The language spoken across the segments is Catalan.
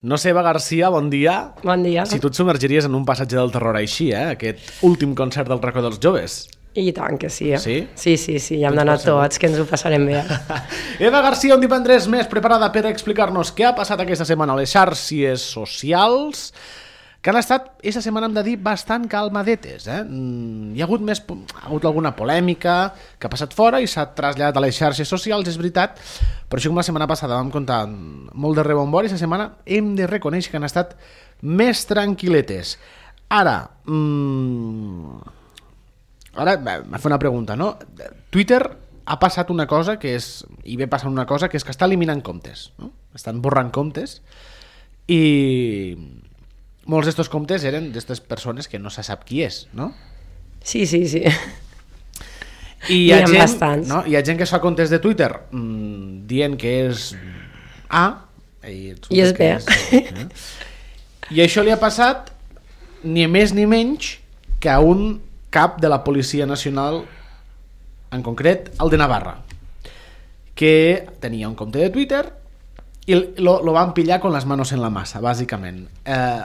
No sé, Eva Garcia, bon dia. Bon dia. Si tu et submergiries en un passatge del terror així, aquest últim concert del Racó dels Joves. I tant que sí. Sí? Sí, ja hem d'anar tots, que ens ho passarem bé. Eva Garcia, un divendres més preparada per explicar-nos què ha passat aquesta setmana a les xarxes socials, que han estat, aquesta setmana hem de dir, bastant calmadetes. Hi ha hagut alguna polèmica que ha passat fora i s'ha traslladat a les xarxes socials, és veritat, però això com la setmana passada vam comptar molt de rebombori, aquesta setmana hem de reconèixer que han estat més tranquil·letes. Ara m'ha fet una pregunta, no? Twitter ha passat una cosa que és, i ve passant una cosa, que és que està eliminant comptes, no? Estan borrant comptes i molts d'estos comptes eren d'estes persones que no se sap qui és, no? Sí. I hi ha gent, bastants. No? Hi ha gent que es fa comptes de Twitter dient que és A i és B. I això li ha passat ni més ni menys que a un cap de la Policia Nacional, en concret el de Navarra, que tenia un compte de Twitter i lo van pillar con las manos en la masa, bàsicament.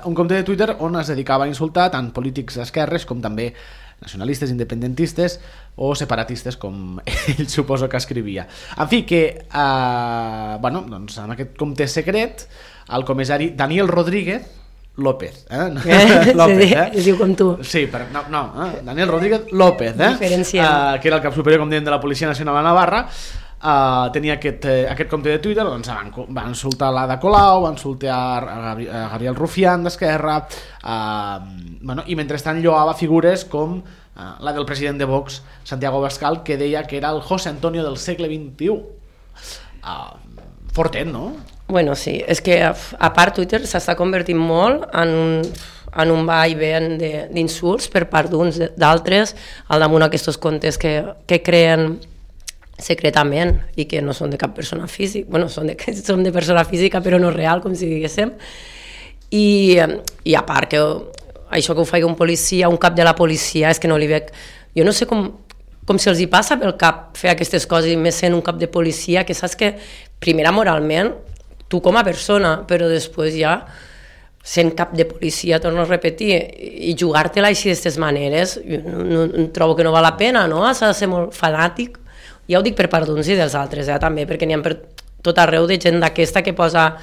Un compte de Twitter on es dedicava a insultar tant polítics d'esquerres com també nacionalistes, independentistes o separatistes, com ell suposo que escrivia. En fi, que doncs amb aquest compte secret el comissari Daniel Rodríguez López, López, es diu com tu. Sí, però Daniel Rodríguez López, que era el cap superior, com dèiem, de la Policia Nacional a Navarra. Tenia aquest compte de Twitter, doncs van insultar l'Ada Colau, van insultar a Gabriel Rufián d'Esquerra, i mentrestant lloava figures com la del president de Vox, Santiago Abascal, que deia que era el José Antonio del segle XXI. Fortet, no? Bueno, sí, és que a part Twitter s'està convertint molt en un va i ven d'insults per part d'uns, d'altres, al damunt aquests comptes que creen secretament i que no són de cap persona física, bueno, són de persona física però no real, com si diguéssim, i a part que això que ho faci un policia, un cap de la policia, és que no li veig, jo no sé com si els hi passa pel cap fer aquestes coses, i més sent un cap de policia, que saps que primera moralment tu com a persona, però després ja sent cap de policia, torno a repetir, i jugar-te-la així d'aquestes maneres, no trobo que no val la pena, no? S'ha de ser molt fanàtic. Ja ho dic per part d'uns i dels altres, també, perquè n'hi ha per tot arreu de gent d'aquesta que posa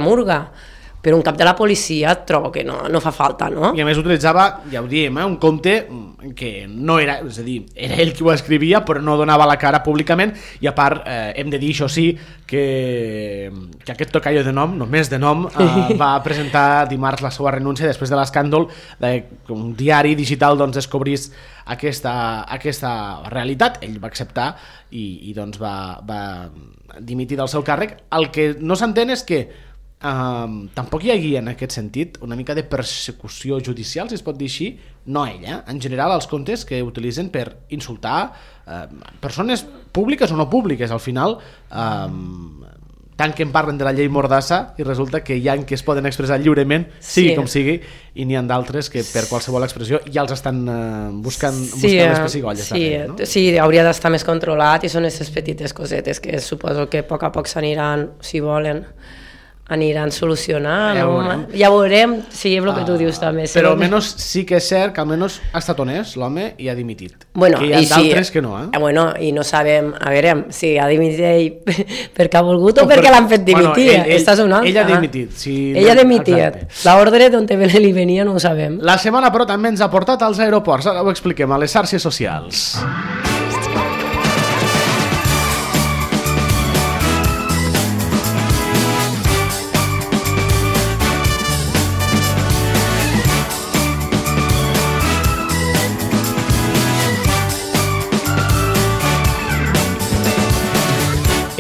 murga. Però un cap de la policia trobo que no fa falta, no? I a més utilitzava, ja ho diem, un compte que no era, és a dir, era ell qui ho escrivia, però no donava la cara públicament, i a part hem de dir, això sí, que aquest tocayo de nom, només de nom, va presentar dimarts la seva renúncia després de l'escàndol que un diari digital doncs descobrís aquesta realitat. Ell va acceptar i doncs va dimitir del seu càrrec. El que no s'entén és que tampoc hi hagi en aquest sentit una mica de persecució judicial, si es pot dir així, no ell, en general els comptes que utilitzen per insultar persones públiques o no públiques. Al final tant que en parlen de la llei Mordassa i resulta que hi ha que es poden expressar lliurement, sigui com sigui, i n'hi ha d'altres que per qualsevol expressió ja els estan buscant les pessigolles. Sí, hauria d'estar més controlat, i són aquestes petites cosetes que suposo que a poc s'aniran, si volen, aniran solucionant. Ja veurem, sí, és el que tu dius també. Però almenys sí que és cert que almenys ha estat honest l'home i ha dimitit. Bueno, que hi ha d'altres que no. Bueno, i no sabem, a veure, si ha dimitit ell perquè ha volgut o perquè l'han fet dimitir. Ell ha dimitit. Ell ha dimitit. L'ordre d'on li venia no ho sabem. La setmana però també ens ha portat als aeroports. Ara ho expliquem a les xarxes socials.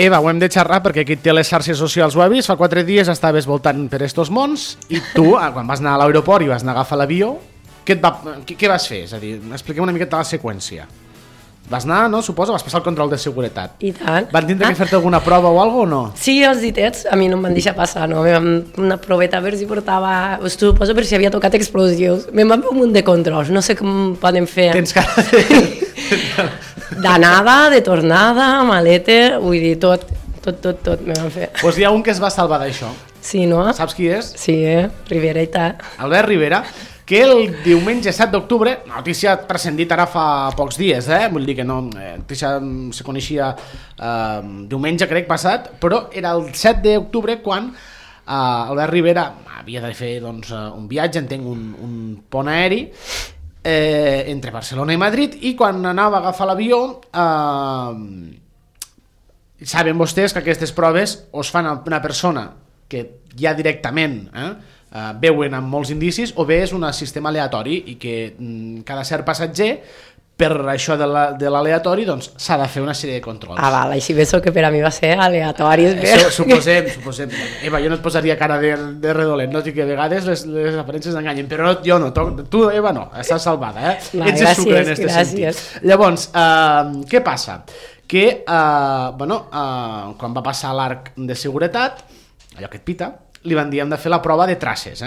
Eva, ho hem de xerrar perquè aquí té les xarxes socials, ho ha vist, fa 4 dies estaves voltant per estos mons i tu, quan vas anar a l'aeroport i vas anar a agafar l'avió, què vas fer? És a dir, expliquem una miqueta la seqüència. Vas anar, no? Suposo, vas passar el control de seguretat. I tant. Van tindre que fer-te alguna prova o alguna cosa o no? Sí, els ditets, a mi no em van deixar passar, no? Una proveta per si portava, suposo per si havia tocat explosius. Me'n van fer un munt de controls, no sé com poden fer. Tens cara de... D'anada, de tornada, maleta, vull dir, tot me van fer. Doncs hi ha un que es va salvar d'això. Sí, no? Saps qui és? Sí, Rivera i tal. Albert Rivera, que el diumenge 7 d'octubre, notícia transcendit ara fa pocs dies, vull dir que no, notícia se coneixia diumenge crec passat, però era el 7 d'octubre quan Albert Rivera havia de fer doncs, un viatge, entenc un pont aeri entre Barcelona i Madrid, i quan anava a agafar l'avió saben vostès que aquestes proves es fan a una persona que ja directament veuen amb molts indicis, o bé és un sistema aleatori i que cada cert passatger per això de l'aleatori doncs s'ha de fer una sèrie de controls. Val, així penso que per a mi va ser aleatori. Suposem. Eva, jo no et posaria cara de redolent, no? Que a vegades les aparences enganyen, però jo no, tu Eva no, estàs salvada, ets de sucre en aquest sentit. Llavors, què passa? Que quan va passar l'arc de seguretat, allò que et pita, li van dir hem de fer la prova de traces,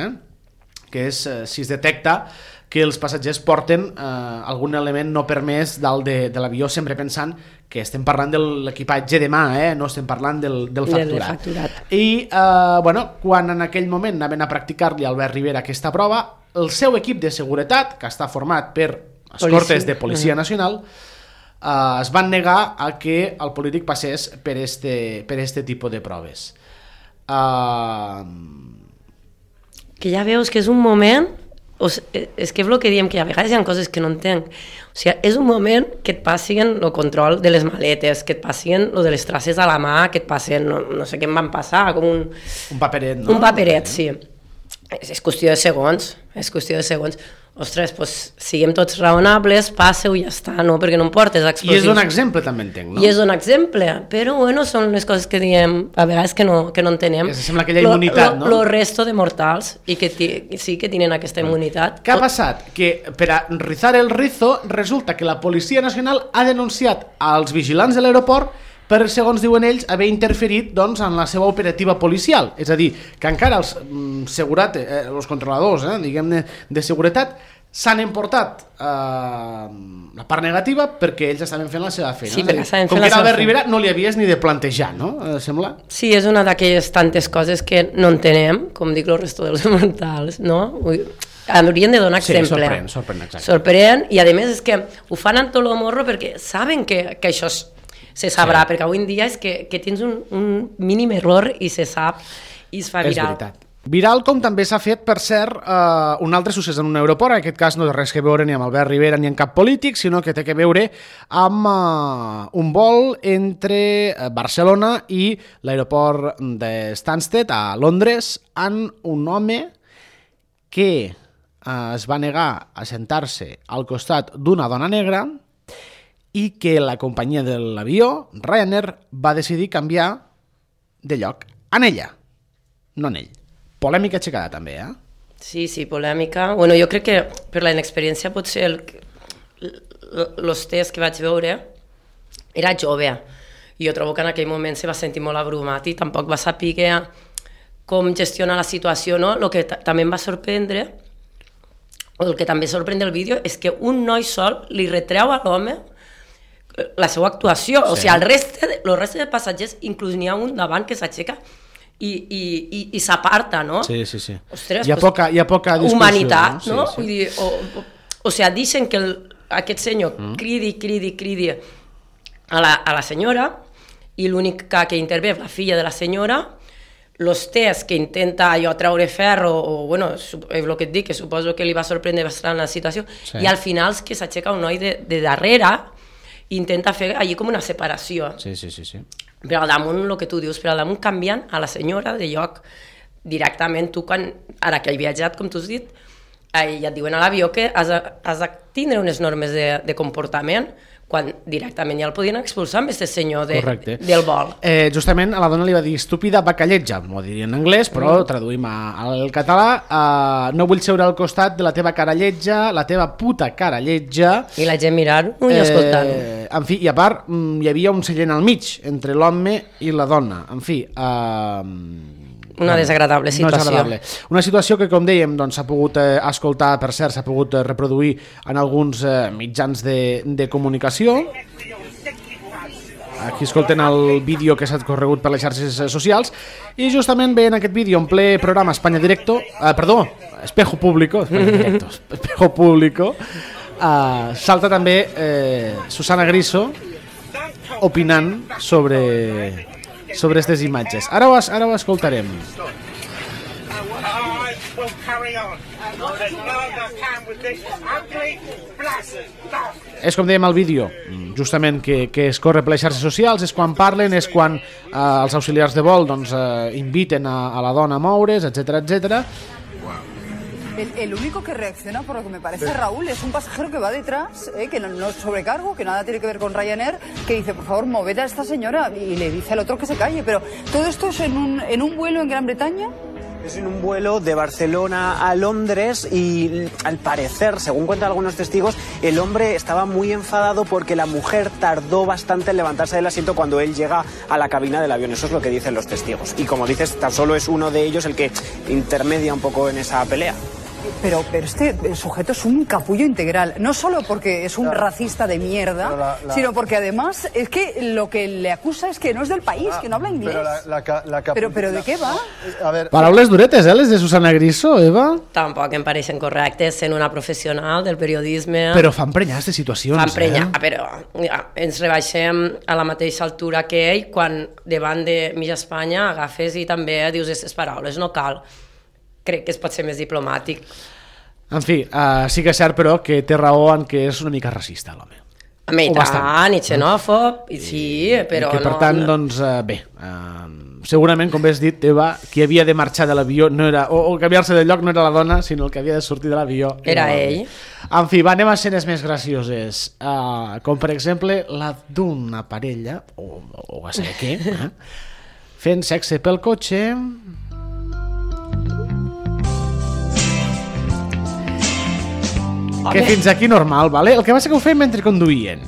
que és si es detecta que els passatgers porten algun element no permès dalt de l'avió, sempre pensant que estem parlant de l'equipatge de mà, no estem parlant del facturat. I quan en aquell moment anaven a practicar-li a Albert Rivera aquesta prova, el seu equip de seguretat, que està format per escortes de Policia Nacional, es van negar a que el polític passés per este tipus de proves. Que ja veus que és un moment, és que és el que diem, que a vegades hi ha coses que no entenc. O sigui, és un moment que et passin el control de les maletes, que et passin lo de les traces a la mà, que et passin, no sé què em van passar, com un paperet, no? Un paperet, sí. És qüestió de segons, Ostres, doncs siguem tots raonables, passeu i ja està, no? Perquè no em portes explosius. I és un exemple, també entenc, no? I és un exemple, però bueno, són les coses que diem a vegades que no entenem. Sembla aquella immunitat, no? Lo resto de mortals, i que sí que tenen aquesta immunitat. Què ha passat? Que per a rizar el rizo, resulta que la Policia Nacional ha denunciat als vigilants de l'aeroport per, segons diuen ells, haver interferit doncs, en la seva operativa policial. És a dir, que encara els controladors diguem-ne de seguretat s'han emportat la part negativa perquè ells estaven fent la seva feina. Sí, perquè estaven com fent que Albert Rivera no li havies ni de plantejar, no? Sembla? Sí, és una d'aquelles tantes coses que no entenem, com dic el resto dels mortals, no? Haurien de donar exemple. Sorprèn, i a més és que ho fan amb tot el morro perquè saben que això se sabrà, perquè avui en dia és que tens un mínim error i se sap i es fa viral. És veritat. Viral com també s'ha fet, per cert, un altre succés en un aeroport, en aquest cas no té res que veure ni amb Albert Rivera ni amb cap polític, sinó que té que veure amb un vol entre Barcelona i l'aeroport de Stansted a Londres, amb un home que es va negar a sentar-se al costat d'una dona negra i que la companyia de l'avió, Ryanair, va decidir canviar de lloc en ella, no en ell. Polèmica aixecada també, Sí, polèmica. Bueno, jo crec que per la inexperiència potser els tests que vaig veure era jove. I jo trobo que en aquell moment se va sentir molt abrumat i tampoc va saber com gestionar la situació, no? El que també em va sorprendre, o el que també sorprèn del vídeo, és que un noi sol li retreu a l'home la seva actuació. O sigui, el reste de passatgers, inclús n'hi ha un davant que s'aixeca i s'aparta, no? Sí. Ostres, hi ha poca discussió. Humanitat, no? Vull dir, o sigui, deixen que aquest senyor cridi a la senyora, i l'únic que intervé és la filla de la senyora, els tests que intenta treure ferro, o bueno, és el que et dic, que suposo que li va sorprendre bastant la situació, i al final és que s'aixeca un noi de darrere i intenta fer allí com una separació. Sí. Per al damunt, el que tu dius, per al damunt canviant a la senyora de lloc directament. Tu, ara que he viatjat, com tu has dit, ja et diuen a l'avió que has de tindre unes normes de comportament, quan directament ja el podien expulsar amb aquest senyor del vol. Justament a la dona li va dir estúpida bacalletja, m'ho diria en anglès, però traduïm al català. No vull seure al costat de la teva cara lletja, la teva puta cara lletja. I la gent mirant-ho i escoltant-ho. En fi, i a part hi havia un seient al mig entre l'home i la dona. En fi, una desagradable situació. Una situació que, com dèiem, s'ha pogut escoltar, per cert, s'ha pogut reproduir en alguns mitjans de comunicació. aquí escolten el vídeo que s'ha corregut per les xarxes socials, i justament ve en aquest vídeo en ple programa Espanya Directo, Espejo Público, Espejo Público, salta també Susana Griso opinant sobre aquestes imatges. Ara ho escoltarem. És com dèiem al vídeo, justament que es corre per les xarxes socials, és quan parlen, és quan els auxiliars de vol inviten a la dona a moure's, etcétera. El único que reacciona, por lo que me parece, Raúl, es un pasajero que va detrás, que no es sobrecargo, que nada tiene que ver con Ryanair, que dice, por favor, moved a esta señora, y le dice al otro que se calle. Pero todo esto es en un vuelo en Gran Bretaña. Es en un vuelo de Barcelona a Londres y, al parecer, según cuentan algunos testigos, el hombre estaba muy enfadado porque la mujer tardó bastante en levantarse del asiento cuando él llega a la cabina del avión. Eso es lo que dicen los testigos. Y como dices, tan solo es uno de ellos el que intermedia un poco en esa pelea. Pero este sujeto es un capullo integral, no solo porque es un racista de mierda, sino porque además es que lo que le acusa es que no es del país, que no habla inglés. Pero ¿de qué va? A ver, paraules duretes, les de Susana Griso, Eva? Tampoc em pareixen correctes sent una professional del periodisme. Però fan prenyar de situacions, però ens rebaixem a la mateixa altura que ell quan davant de mitja Espanya agafes i també dius aquestes paraules, no cal. Crec que es pot ser més diplomàtic. En fi, sí que és cert, però, que té raó en que és una mica racista, l'home. I tant, i xenòfob, i sí, però no... Per tant, doncs, bé, segurament, com bé has dit, Eva, qui havia de marxar de l'avió no era, o canviar-se de lloc no era la dona, sinó el que havia de sortir de l'avió. Era ell. En fi, anem a escenes més gracioses, com per exemple la d'una parella, o a saber què, fent sexe pel cotxe... Que fins aquí normal, ¿vale? El que passa que ho feim mentre conduïen.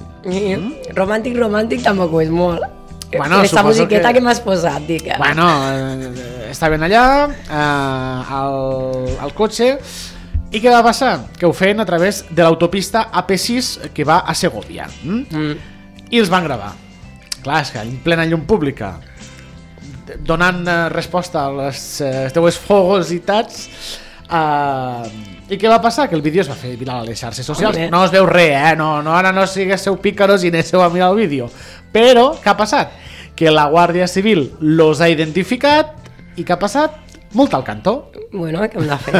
Romàntic tampoc ho és molt. Bueno, aquesta musiqueta que m'has posat, dic. Bueno, estaven allà al cotxe i què va passar? Que ho feien a través de l'autopista AP6 que va a Segovia. I els van gravar. Clar, és que en plena llum pública, donant resposta a les teues fogositats, i què va passar? Que el vídeo es va fer viral a les xarxes socials. No es veu res, ara no siguéssiu pícaros i anéssiu a mirar el vídeo. Però, què ha passat? Que la Guàrdia Civil los ha identificat i què ha passat? Multa al cantó. Bueno, què hem de fer?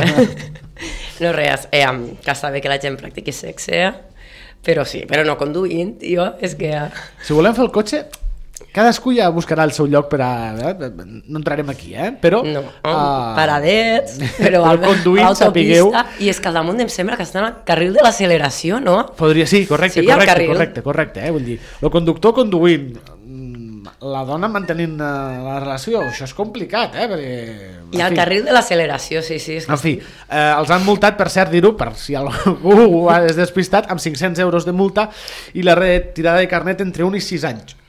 No res, que està bé que la gent practiqui sexe, però sí, però no conduint, tio, és que... Si volem fer el cotxe... Cadascú ja buscarà el seu lloc per a... No entrarem aquí, però... No, paradets, però conduint, sapigueu... I és que al damunt em sembla que estan al carril de l'acceleració, no? Podria, sí, correcte. Vull dir, el conductor conduint, la dona mantenint la relació, això és complicat, perquè... I al carril de l'acceleració, sí. En fi, els han multat, per cert, dir-ho, per si algú ho ha despistat, amb 500 euros de multa i la retirada de carnet entre 1 i 6 anys.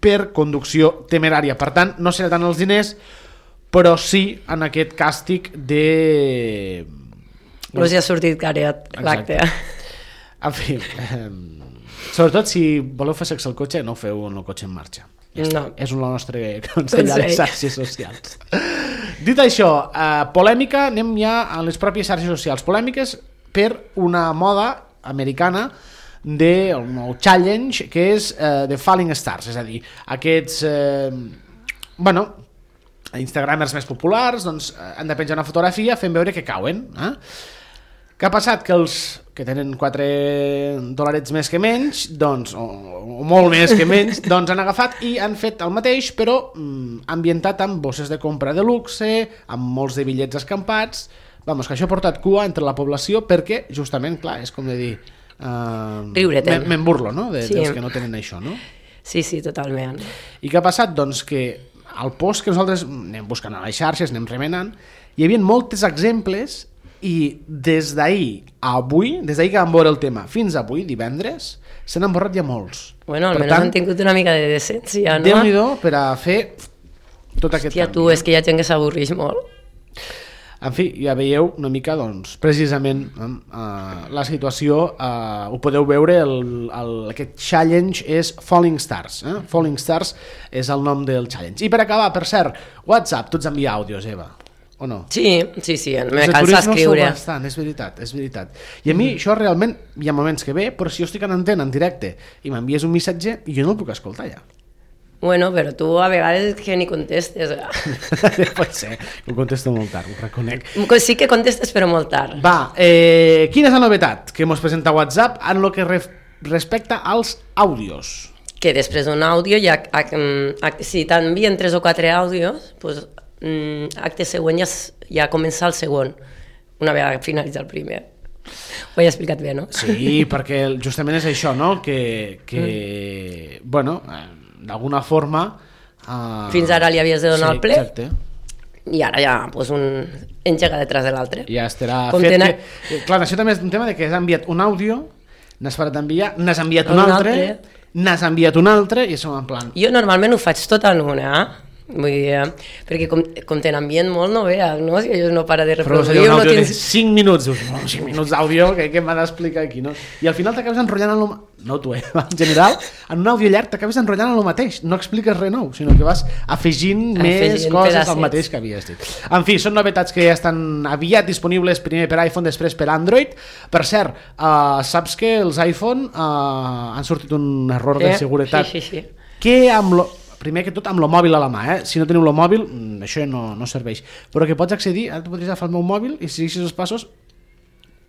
Per conducció temerària. Per tant, no serà tant els diners, però sí en aquest càstig de... No s'hi ha sortit caret l'acte. En fi, sobretot si voleu fer sexe al cotxe, no ho feu en el cotxe en marxa. No. És el nostre consell a les xarxes socials. Dit això, polèmica, anem ja a les pròpies xarxes socials. Polèmiques per una moda americana del nou challenge, que és de Falling Stars, és a dir, aquests instagramers més populars doncs, han de penjar una fotografia fent veure que cauen. Què ha passat? Que els que tenen $4 més que menys, doncs, o molt més que menys, doncs han agafat i han fet el mateix, però ambientat amb bosses de compra de luxe, amb molts de bitllets escampats. Vamos, que això ha portat cua entre la població perquè, justament, clar, és com de dir... me'n burlo, no? Dels que no tenen això, no? Sí, totalment. I què ha passat? Doncs que al post que nosaltres anem buscant a les xarxes, anem remenant, hi havia molts exemples i des d'ahir a avui, des d'ahir que vam veure el tema fins avui, divendres, se n'han borrat ja molts. Bueno, almenys han tingut una mica de decència, no? Déu-n'hi-do per a fer tot aquest canvi. Hòstia, tu, és que hi ha gent que s'avorreix molt. En fi, ja veieu una mica, doncs, precisament la situació, ho podeu veure, aquest challenge és Falling Stars. Falling Stars és el nom del challenge. I per acabar, per cert, WhatsApp, tu ets enviar àudios, Eva, o no? Sí, me cansa escriure. Bastant, és veritat. I a mi això realment, hi ha moments que ve, però si jo estic en antena, en directe, i m'envies un missatge, i jo no el puc escoltar ja. Bueno, però tu a vegades que ni contestes. Pot ser, ho contesto molt tard, ho reconec. Sí que contestes, però molt tard. Va, quina és la novetat que mos presenta WhatsApp en el que respecta als àudios? Que després d'un àudio, si t'envien 3 o 4 àudios, doncs, acte següent ja comença el segon, una vegada finalitza el primer. Ho he explicat bé, no? Sí, perquè justament és això, no? Que bueno, d'alguna forma... Fins ara li havies de donar el ple, exacte. I ara ja pues, un engega detrás de l'altre. Ja estarà fet. Clar, això també és un tema de que has enviat un àudio, n'has parat d'enviar, n'has enviat un altre, n'has enviat un altre, i som en plan... Jo normalment ho faig tot en una, vull dir, perquè com te n'envien molt no veus, no? Si jo no para de reproduir... Però un àudio de 5 minuts, dius, 5 minuts d'àudio, què m'ha d'explicar aquí, no? I al final t'acabes enrotllant en no tu, en general, en un àudio llarg t'acabes enrotllant en el mateix, no expliques res nou, sinó que vas afegint més coses al mateix que havies dit. En fi, són novetats que ja estan aviat disponibles, primer per iPhone, després per Android. Per cert, saps que els iPhone han sortit un error de seguretat que primer que tot amb el mòbil a la mà, si no teniu el mòbil això no serveix, però que pots accedir, ara tu podries agafar el meu mòbil i si segueixes els passos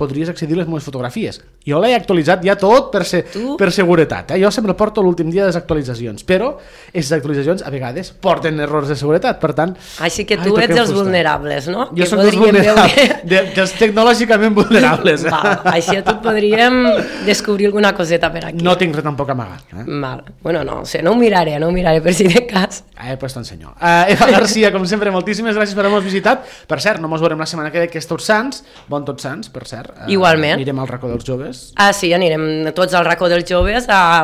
podries accedir a les meves fotografies. Jo l'he actualitzat ja tot per seguretat. Jo sempre porto l'últim dia de les actualitzacions, però aquestes actualitzacions a vegades porten errors de seguretat, per tant... Així que tu ets dels vulnerables, no? Jo soc dels vulnerables, dels tecnològicament vulnerables. Així a tu podríem descobrir alguna coseta per aquí. No tinc res tampoc amagat. Bueno, no sé, no ho miraré per si de cas. Pues t'ensenyo. Eva Garcia, com sempre, moltíssimes gràcies per haver-nos visitat. Per cert, no mos veurem la setmana que ve, que és Tots Sants. Bon Tots Sants, per cert. Igualment. Anirem al racó dels joves. Sí, anirem tots al racó dels joves a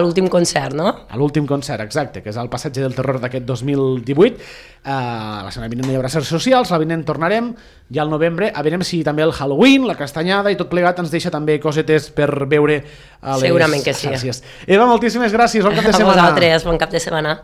l'últim concert, no? A l'últim concert, exacte, que és el Passatge del Terror d'aquest 2018. La setmana vinent no hi haurà certs socials, la vinent tornarem, ja al novembre, a veure si també el Halloween, la castanyada i tot plegat ens deixa també cosetes per veure a les Segurament que sí. xarxes. Eva, moltíssimes gràcies, bon cap de setmana. A vosaltres, bon cap de setmana.